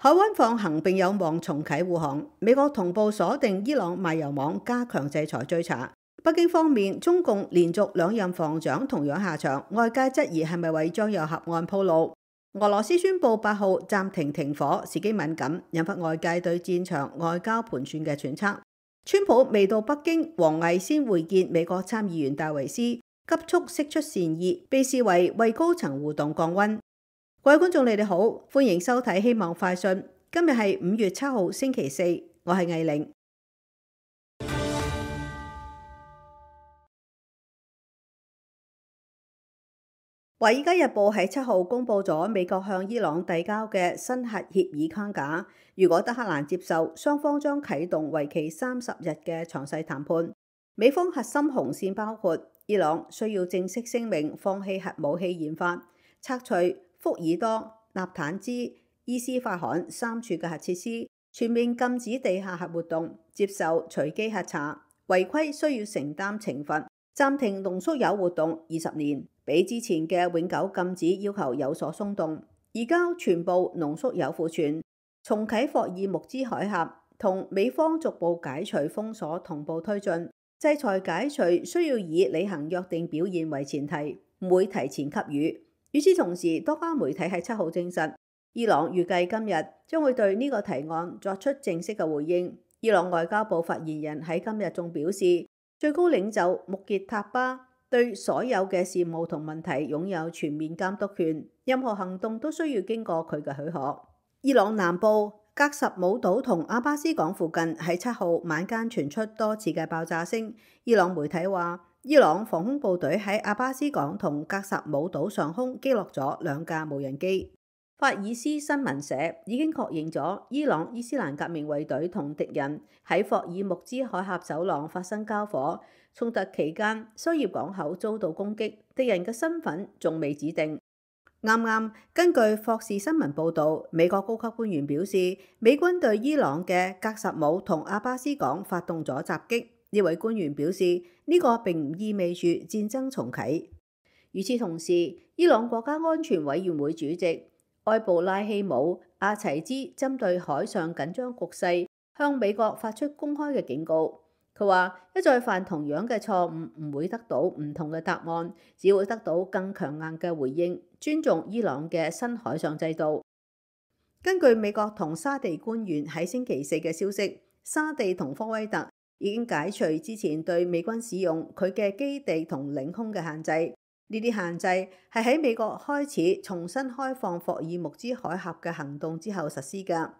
海灣放行並有望重啟護航，美國同步鎖定伊朗賣油網，加強制裁追查。北京方面，中共連續2任防長同樣下場，外界質疑係咪為將有核案鋪路。俄羅斯宣布8號暫停停火，時機敏感，引發外界對戰場外交盤算嘅揣測。川普未到北京，王毅先會見美國參議員戴維斯，急速釋出善意，被視為高層互動降溫。各位觀眾，你哋好，歡迎收睇《希望快訊》。今日係5月7號星期四，我係藝玲。《華爾街日報》喺7號公布咗美國向伊朗遞交嘅新核協議框架，如果德黑蘭接受，雙方將啟動為期30日嘅詳細談判。美方核心紅線包括伊朗需要正式聲明放棄核武器研發，拆除福爾多、納坦茲、伊斯法罕3處嘅核設施，全面禁止地下核活動，接受隨機核查，違規需要承擔懲罰，暫停濃縮鈾活動20年，比之前嘅永久禁止要求有所鬆動，移交全部濃縮鈾庫存，重啟霍爾木茲海峽，同美方逐步解除封鎖同步推進，制裁解除需要以履行約定表現為前提，唔會提前給予。與此同時，多家媒體喺7號證實，伊朗預計今日將會對呢個提案作出正式嘅回應。伊朗外交部發言人喺今日仲表示，最高領袖穆傑塔巴對所有嘅事務同問題擁有全面監督權，任何行動都需要經過佢嘅許可。伊朗南部格什姆島同阿巴斯港附近喺7號晚間傳出多次嘅爆炸聲。伊朗媒體話，伊朗防空部隊喺阿巴斯港同格什姆島上空擊落咗2架無人機。法爾斯新聞社已經確認咗伊朗伊斯蘭革命衛隊同敵人喺霍爾木茲海峽走廊發生交火，衝突期間商業港口遭到攻擊，敵人嘅身份仲未指定。啱啱根據霍士新聞報導，美國高級官員表示，美軍對伊朗嘅格什姆同阿巴斯港發動咗襲擊。呢位官員表示，呢個並唔意味住戰爭重啟。與此同時，伊朗國家安全委員會主席埃布拉希姆·阿齊茲針對海上緊張局勢，向美國發出公開嘅警告。佢話：一再犯同樣嘅錯誤，唔會得到唔同嘅答案，只會得到更強硬嘅回應。尊重伊朗嘅新海上制度。根據美國同沙地官員喺星期4嘅消息，沙地同科威特已經解除之前對美軍使用佢嘅基地同領空嘅限制。呢啲限制係喺美國開始重新開放霍爾木茲海峽嘅行動之後實施㗎。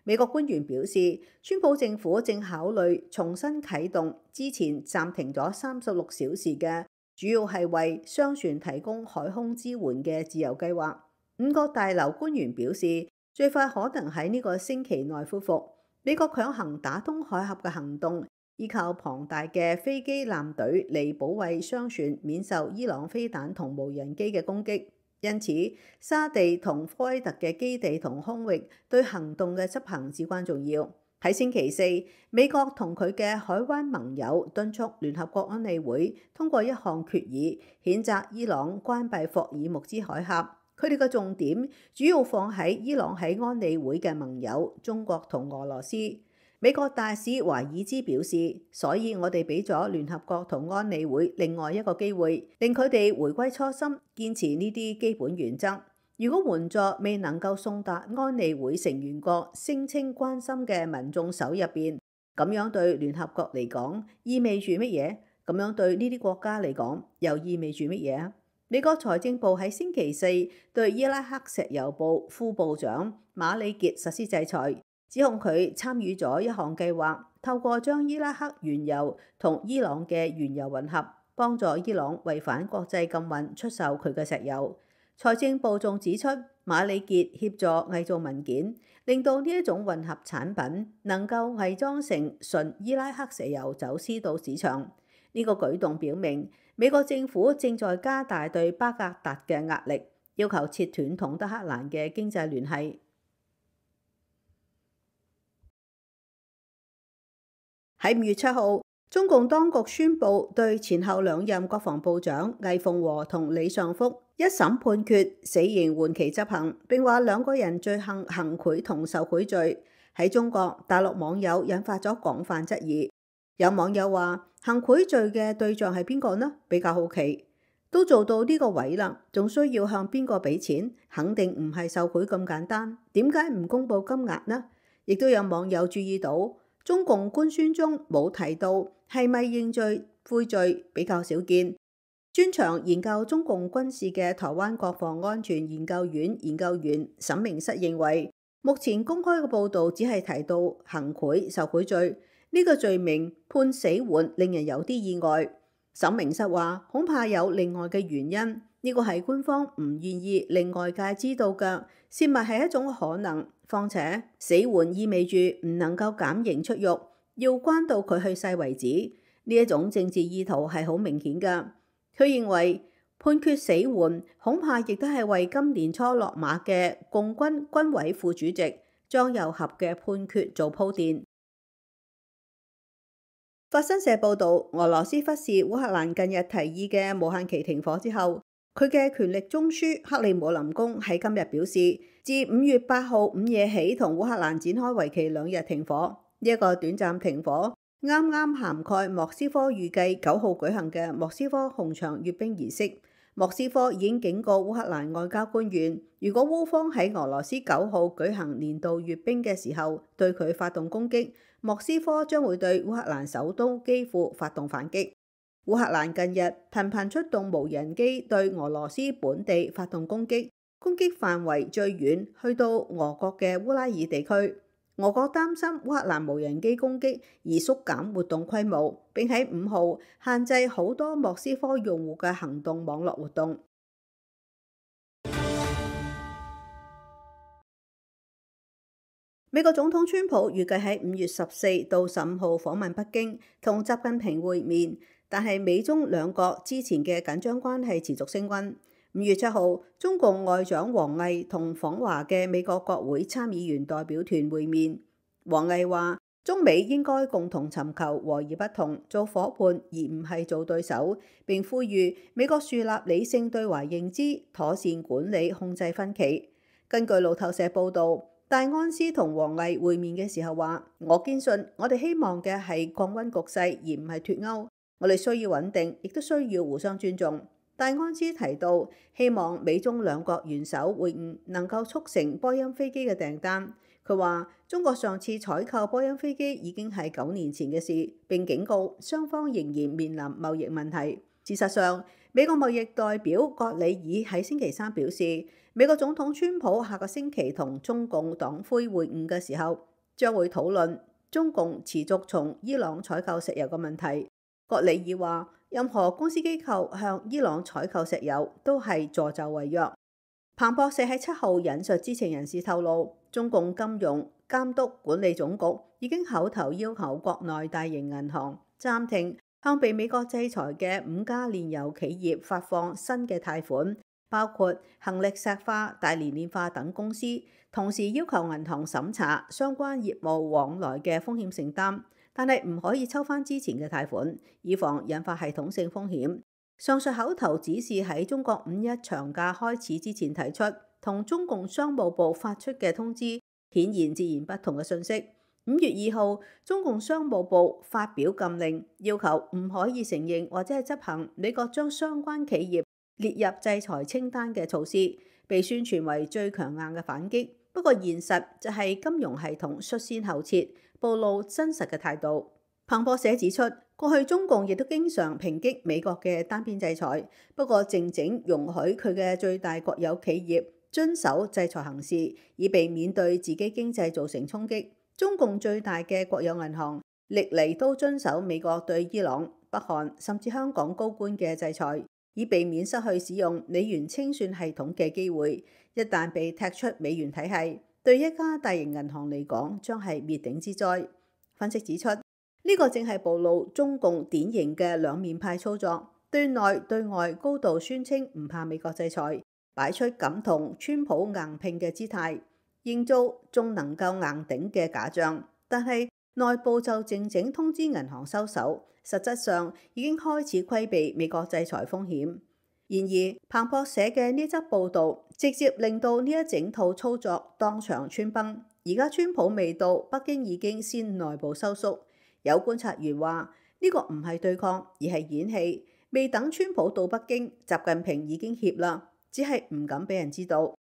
美國官員表示，川普政府正考慮重新啟動之前暫停咗36小時嘅，主要係為商船提供海空支援嘅自由計劃。5角大樓官員表示，最快可能喺呢個星期內恢復。美國強行打通海峽嘅行動，依靠龐大嘅飛機艦隊嚟保衛商船免受伊朗飛彈同無人機嘅攻擊。因此，沙地同科威特嘅基地同空域對行動嘅執行至關重要。喺星期4，美國同佢嘅海灣盟友敦促聯合國安理會通過一項決議，譴責伊朗關閉霍爾木茲海峽。佢哋嘅重點主要放喺伊朗喺安理會嘅盟友中國同俄羅斯。美國大使華爾茲表示，所以我哋俾咗聯合國同安理會另外一個機會，令佢哋回歸初心，堅持呢啲基本原則。如果援助未能夠送達安理會成員國聲稱關心嘅民眾手入邊，咁樣對聯合國嚟講意味住乜嘢？咁樣對呢啲國家嚟講又意味住乜嘢？美國財政部喺星期4對伊拉克石油部副部長馬里傑實施制裁，指控佢參與咗一項計劃，透過將伊拉克原油同伊朗嘅原油混合，幫助伊朗違反國際禁運出售佢嘅石油。財政部仲指出，馬里傑協助偽造文件，令到呢一種混合產品能夠偽裝成純伊拉克石油走私到市場。呢個舉動表明，美國政府正在加大對巴格達嘅壓力，要求切斷同德黑蘭嘅經濟聯繫。喺5月7號，中共當局宣布對前後兩任國防部長魏鳳和同李尚福一審判決死刑緩期執行，並話兩個人罪行行賄同受賄罪，喺中國大陸網友引發咗廣泛質疑。有網友話：行賄罪嘅對象係邊個呢？比較好奇，都做到呢個位啦，仲需要向邊個俾錢？肯定唔係受賄咁簡單。點解唔公佈金額呢？亦都有網友注意到，中共官宣中冇提到係咪認罪悔罪，比較少見。專長研究中共軍事嘅台灣國防安全研究院研究員沈明室認為，目前公開嘅報導只係提到行賄受賄罪，呢個罪名判死緩令人有啲意外。沈明室話，恐怕有另外嘅原因，呢個係官方唔願意令外界知道嘅，泄密係一種可能。況且死緩意味住唔能夠減刑出獄，要關到佢去世為止，呢一種政治意圖係好明顯㗎。佢認為判決死緩恐怕亦都係為今年初落馬嘅共軍軍委副主席張又俠嘅判決做鋪墊。法新社報導，俄羅斯忽視烏克蘭近日提議嘅無限期停火之後，佢嘅權力中樞克里姆林宮喺今日表示，自5月8號午夜起同烏克蘭展開為期2日停火。呢一個短暫停火啱啱涵蓋莫斯科預計9號舉行嘅莫斯科紅場閱兵儀式。莫斯科已經警告烏克蘭外交官員，如果烏方喺俄羅斯9號舉行年度閱兵嘅時候對佢發動攻擊，莫斯科將會對烏克蘭首都基輔發動反擊。烏克蘭近日頻頻出動無人機對俄羅斯本地發動攻擊，攻擊範圍最遠去到俄國嘅烏拉爾地區。俄國擔心烏克蘭無人機攻擊而縮減活動規模，並喺5號限制好多莫斯科用戶嘅行動網絡活動。美國總統川普預計喺5月14到15號訪問北京，同習近平會面，但係美中兩國之前嘅緊張關係持續升溫。5月7號，中共外長王毅同訪華嘅美國國會參議員代表團會面。王毅話：中美應該共同尋求和而不同，做夥伴而唔係做對手。並呼籲美國樹立理性對華認知，妥善管理控制分歧。根據路透社報導，戴安斯同王毅會面嘅時候話：我堅信我哋希望嘅係降溫局勢，而唔係脫歐。我哋需要穩定，亦都需要互相尊重。戴安斯提到，希望美中兩國元首會晤能夠促成波音飛機嘅訂單。佢話：中國上次採購波音飛機已經係9年前嘅事，並警告雙方仍然面臨貿易問題。事實上，美國貿易代表葛里爾喺星期三表示，美國總統川普下個星期同中共黨魁會晤嘅時候，將會討論中共持續從伊朗採購石油嘅問題。葛里爾話：任何公司機構向伊朗採購石油都係助紂為虐。彭博社喺7號引述知情人士透露，中共金融監督管理總局已經口頭要求國內大型銀行暫停向被美國制裁嘅5家煉油企業發放新嘅貸款，包括恆力石化、大連煉化等公司，同時要求銀行審查相關業務往來嘅風險承擔，但係唔可以抽翻之前嘅貸款，以防引發系統性風險。上述口頭指示喺中國5·1長假開始之前提出，同中共商務部發出嘅通知顯然截然不同嘅信息。5月2號，中共商務部發表禁令，要求唔可以承認或者係執行美國將相關企業列入制裁清單嘅措施，被宣傳為最強硬嘅反擊。不過現實就係金融系統率先後撤，暴露真實嘅態度。彭博社指出，過去中共亦都經常抨擊美國嘅單邊制裁，不過靜靜容許佢嘅最大國有企業遵守制裁行事，以避免對自己經濟造成衝擊。中共最大嘅國有銀行歷嚟都遵守美國對伊朗、北韓甚至香港高官嘅制裁，以避免失去使用美元清算系統嘅機會。一旦被踢出美元體系，對一家大型銀行嚟講將係滅頂之災。分析指出，呢個正係暴露中共典型嘅兩面派操作，對內對外高度宣稱唔怕美國制裁，擺出敢同川普硬拼嘅姿態，營造仲能夠硬頂嘅假象。但係內部就靜靜通知銀行收手，實質上已經開始規避美國制裁風險。然而，彭博社嘅呢則報導直接令到呢一整套操作當場穿崩。而家川普未到，北京已經先內部收縮。有觀察員話：呢個唔係對抗，而係演戲。未等川普到北京，習近平已經怯啦，只係唔敢俾人知道。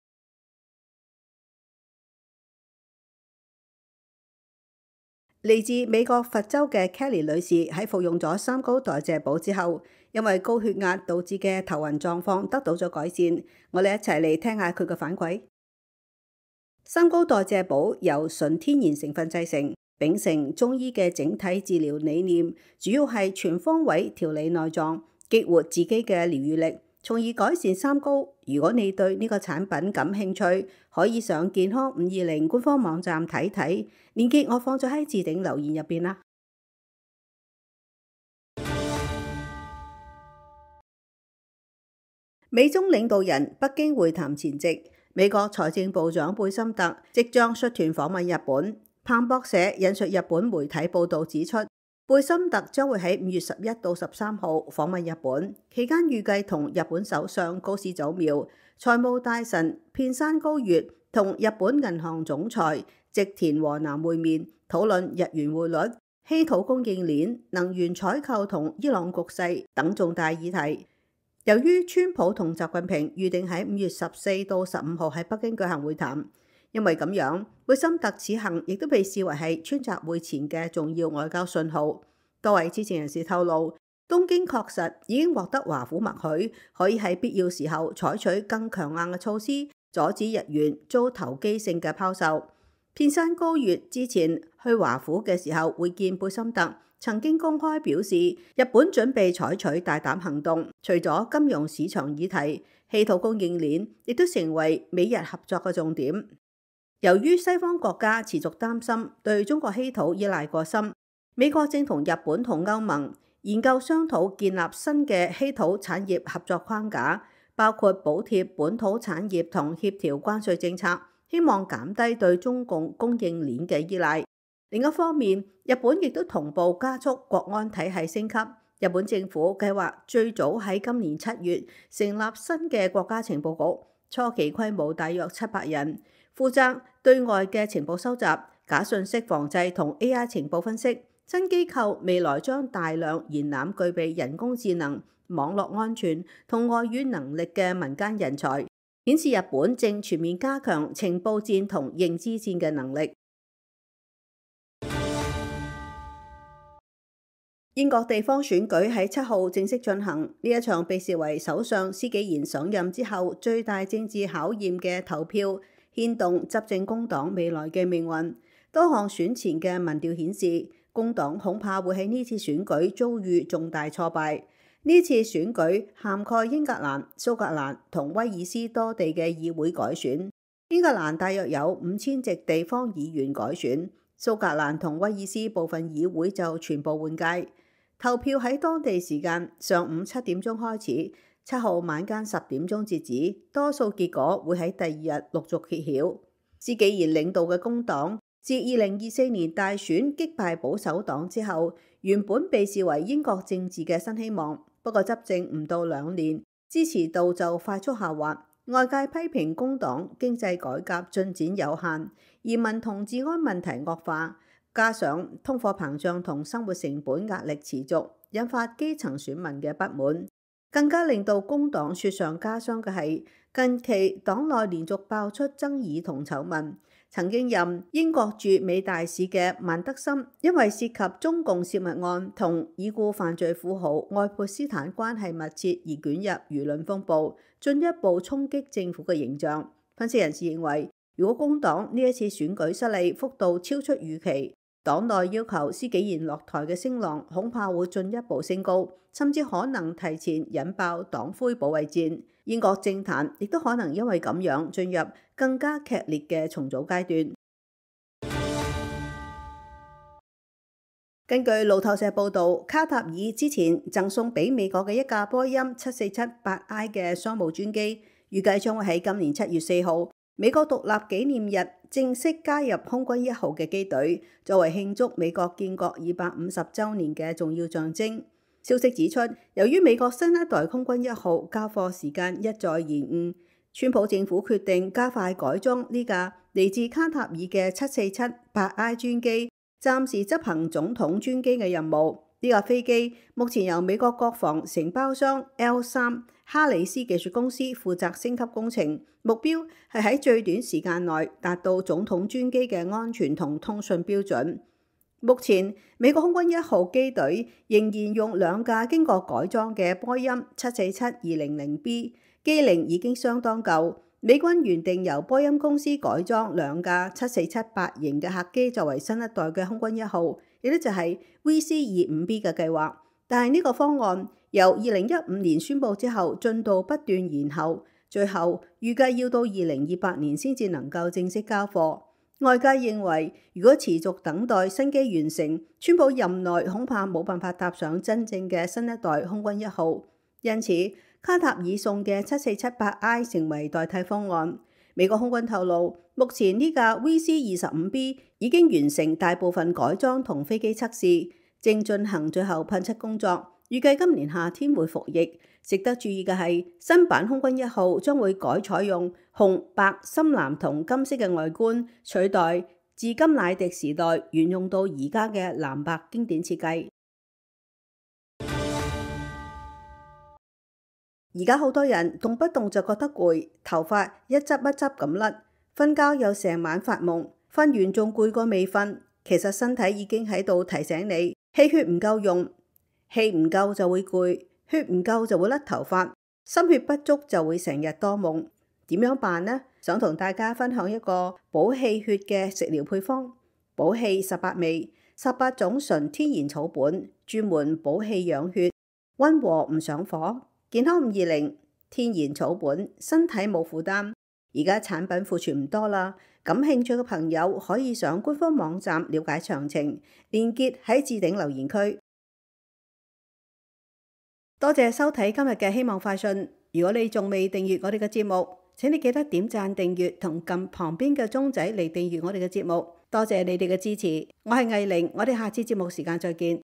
嚟自美國佛州嘅 Kelly 女士喺服用咗三高代謝補之後，因為高血壓導致嘅頭暈狀況得到咗改善。我哋一齊嚟聽下佢嘅反饋。三高代謝補由純天然成分製成，秉承中醫嘅整體治療理念，主要係全方位調理內臟，激活自己嘅療癒力，從而改善三高。如果你對呢個產品感興趣，可以上健康520官方網站睇睇，鏈接我放咗喺置頂留言入邊啦。美中領導人北京會談前夕，美國財政部長貝森特即將率團訪問日本。彭博社引述日本媒體報導指出，貝森特將會喺5月11到13號訪問日本，期間預計同日本首相高市早苗、財務大臣片山高月同日本銀行總裁植田和男會面，討論日元匯率、稀土供應鏈、能源採購同伊朗局勢等重大議題。由於川普同習近平預定喺5月14到15號喺北京舉行會談，因為咁樣，貝森特此行亦都被視為係川習會前嘅重要外交信號。多位知情人士透露，東京確實已經獲得華府默許，可以喺必要時候採取更強硬嘅措施，阻止日元遭投機性嘅拋售。片山高月之前去華府嘅時候會見貝森特，曾經公開表示，日本準備採取大膽行動，除咗金融市場議題，稀土供應鏈亦都成為美日合作嘅重點。由於西方國家持續擔心對中國稀土依賴過深，美國正同日本同歐盟研究商討建立新嘅稀土產業合作框架，包括補貼本土產業同協調關稅政策，希望減低對中共供應鏈嘅依賴。另一方面，日本亦都同步加速國安體系升級。日本政府計劃最早喺今年7月成立新嘅國家情報局，初期規模大約700人，負責對外嘅情報收集、假信息防制同 AI 情報分析。新機構未來將大量延攬具備人工智能、網絡安全同外語能力嘅民間人才，顯示日本正全面加強情報戰同認知戰嘅能力。英國地方選舉喺7號正式進行，呢一場被視為首相施紀賢上任之後最大政治考驗嘅投票，牽動執政工黨未來嘅命運。多項選前嘅民調顯示，工黨恐怕會喺呢次選舉遭遇重大挫敗。呢次選舉涵蓋英格蘭、蘇格蘭同威爾斯多地嘅議會改選。英格蘭大約有5000席地方議員改選，蘇格蘭同威爾斯部分議會就全部換屆。投票喺當地時間上午7點鐘開始，7號晚間10點鐘截止，多數結果會喺第二日陸續揭曉。施紀賢領導嘅工黨自2024年大選擊敗保守黨之後，原本被視為英國政治嘅新希望，不過執政唔到2年，支持度就快速下滑。外界批評工黨經濟改革進展有限，移民同治安問題惡化。加上通貨膨脹同生活成本壓力持續，引發基層選民嘅不滿。更加令到工黨雪上加霜嘅係，近期黨內連續爆出爭議同醜聞。曾經任英國駐美大使嘅曼德森，因為涉及中共泄密案同已故犯罪富豪愛潑斯坦關係密切而捲入輿論風暴，進一步衝擊政府嘅形象。分析人士認為，如果工黨呢一次選舉失利幅度超出預期，黨內要求施紀賢落台嘅聲浪恐怕會進一步升高，甚至可能提前引爆黨魁保衛戰。英國政壇亦都可能因為咁樣進入更加劇烈嘅重組階段。根據路透社報導，卡塔爾之前贈送俾美國嘅一架波音747-8I 嘅商務專機，預計將會喺今年7月4號美國獨立紀念日正式加入空軍一號嘅機隊，作為慶祝美國建國250週年嘅重要象徵。消息指出，由於美國新一代空軍一號交貨時間一再延誤，川普政府決定加快改裝呢架嚟自卡塔爾嘅747-8I 專機，暫時執行總統專機嘅任務。呢架飛機目前由美國國防承包商 L3哈里斯技術公司負責升級工程，目標係喺最短時間內達到總統專機嘅安全同通訊標準。目前美國空軍一號機隊仍然用兩架經過改裝嘅波音747-200B， 機齡已經相當舊。美軍原定由波音公司改裝兩架7478型嘅客機作為新一代嘅空軍一號，亦都就係 VC-25B 嘅計劃。但係呢個方案由2015年宣布之後，進度不斷延後，最後預計要到2028年先至能夠正式交貨。外界認為，如果持續等待新機完成，川普任內恐怕冇辦法搭上真正嘅新一代空軍一號。因此，卡塔爾送嘅747-8I 成為代替方案。美國空軍透露，目前呢架 VC-25B 已經完成大部分改裝同飛機測試，正進行最後噴漆工作，預計今年夏天會服役。值得注意嘅係，新版空軍一號將會改採用紅、白、深藍同金色嘅外觀，取代自甘迺迪時代沿用到而家嘅藍白經典設計。而家好多人動不動就覺得攰，頭髮一執一執咁甩，瞓覺又成晚發夢，瞓完仲攰過未瞓。其實身體已經喺度提醒你，氣血唔夠用，氣唔夠就會攰。血唔夠就會甩頭髮，心血不足就會成日多夢。點樣辦呢？想同大家分享一個補氣血嘅食療配方：補氣18味，18種純天然草本，專門補氣養血，溫和唔上火。健康520，天然草本，身體冇負擔。而家產品庫存唔多啦，感興趣嘅朋友可以上官方網站了解詳情，連結喺置頂留言區。多謝收睇今日嘅希望快訊。如果你仲未訂閱我哋嘅節目，請你記得點讚訂閱同撳旁邊嘅鐘仔嚟訂閱我哋嘅節目。多謝你哋嘅支持，我係藝玲，我哋下次節目時間再見。